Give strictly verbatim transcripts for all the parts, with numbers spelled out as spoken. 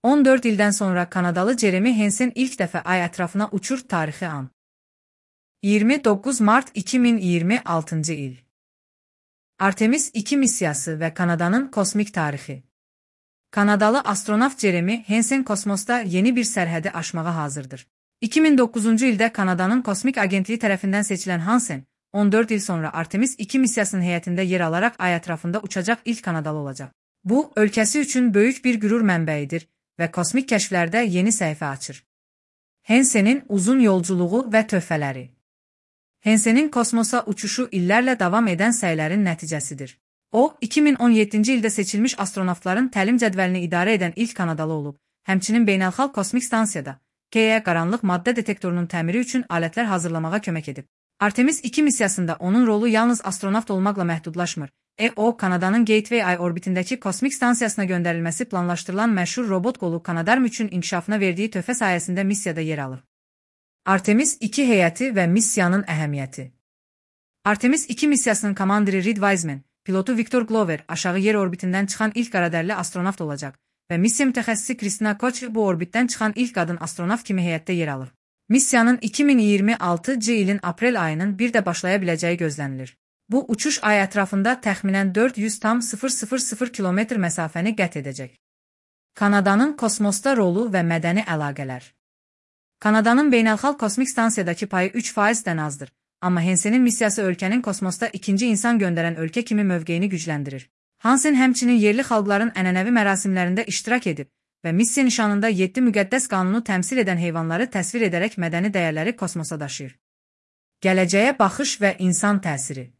on dörd ildən sonra Kanadalı Jeremy Hansen ilk dəfə ay ətrafına uçur. Tarixi an. iyirmi doqquz mart iki min iyirmi altıncı il. Artemis iki missiyası və Kanadanın kosmik tarixi. Kanadalı astronavt Jeremy Hansen kosmosda yeni bir sərhədi aşmağa hazırdır. iki min doqquzuncu ildə Kanadanın Kosmik Agentliyi tərəfindən seçilən Hansen, on dörd il sonra Artemis iki missiyasının heyətində yer alaraq ay ətrafında uçacaq ilk Kanadalı olacaq. Bu, ölkəsi üçün böyük bir qürur mənbəyidir və kosmik kəşflərdə yeni səhifə açır. Hansen'in uzun yolculuğu və töhfələri. Hansen'in kosmosa uçuşu illərlə davam edən səylərin nəticəsidir. O, iki min on yeddinci ildə seçilmiş astronavtların təlim cədvəlini idarə edən ilk Kanadalı olub, həmçinin beynəlxalq kosmik stansiyada K E qaranlıq maddə detektorunun təmiri üçün alətlər hazırlamağa kömək edib. Artemis iki missiyasında onun rolu yalnız astronavt olmaqla məhdudlaşmır. E O, Kanadanın Gateway ay orbitindəki kosmik stansiyasına göndərilməsi planlaşdırılan məşhur robot qolu Canadarm üçün inkişafına verdiyi töhfə sayəsində missiyada yer alır. Artemis iki heyəti və missiyanın əhəmiyyəti. Artemis iki missiyasının komandiri Reed Wiseman, pilotu Victor Glover aşağı yer orbitindən çıxan ilk qaradərli astronavt olacaq və missiya mütəxəssisi Kristina Koch bu orbitdən çıxan ilk qadın astronavt kimi heyətdə yer alır. Missiyanın iki min iyirmi altıncı ilin aprel ayının bir də başlaya biləcəyi gözlənilir. Bu uçuş ay ətrafında təxminən dörd yüz min kilometr məsafəni qət edəcək. Kanadanın kosmosda rolu və mədəni əlaqələr. Kanadanın beynəlxalq kosmik stansiyadakı payı üç faizdən azdır, amma Hansen'in missiyası ölkənin kosmosda ikinci insan göndərən ölkə kimi mövqeyini gücləndirir. Hansen həmçinin yerli xalqların ənənəvi mərasimlərində iştirak edib və missiya nişanında yeddi müqəddəs qanunu təmsil edən heyvanları təsvir edərək mədəni dəyərləri kosmosa daşıyır. Gələcəyə baxış və insan təsiri.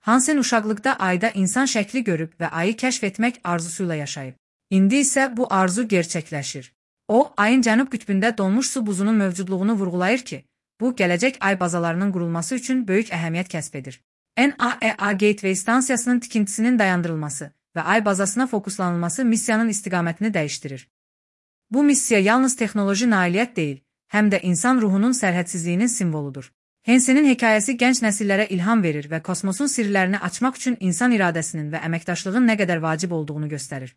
Hansen uşaqlıqda ayda insan şəkli görüb və ayı kəşf etmək arzusuyla yaşayıb. İndi isə bu arzu gerçəkləşir. O, ayın cənub qütbündə donmuş su buzunun mövcudluğunu vurğulayır ki, bu gələcək ay bazalarının qurulması üçün böyük əhəmiyyət kəsb edir. N A E A Gateway stansiyasının tikintisinin dayandırılması və ay bazasına fokuslanılması missiyanın istiqamətini dəyişdirir. Bu missiya yalnız texnoloji nailiyyət deyil, həm də insan ruhunun sərhədsizliyinin simvoludur. Hansen'in hekayəsi gənc nəsillərə ilham verir və kosmosun sirlərini açmaq üçün insan iradəsinin və əməkdaşlığın nə qədər vacib olduğunu göstərir.